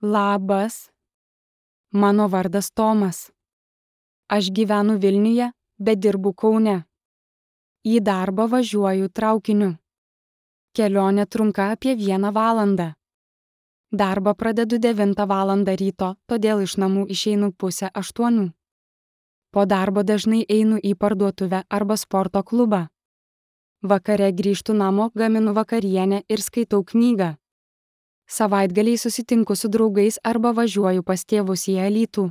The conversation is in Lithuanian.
Labas, mano vardas Tomas. Aš gyvenu Vilniuje, bet dirbu Kaune. Į darbą važiuoju traukiniu. Kelionė trunka apie 1 valandą. Darbą pradedu 9 valandą ryto, todėl iš namų išeinu 7:30. Po darbo dažnai einu į parduotuvę arba sporto klubą. Vakare grįžtu namo, gaminu vakarienę ir skaitau knygą. Savaitgaliais susitinku su draugais arba važiuoju pas tėvus į Alytų.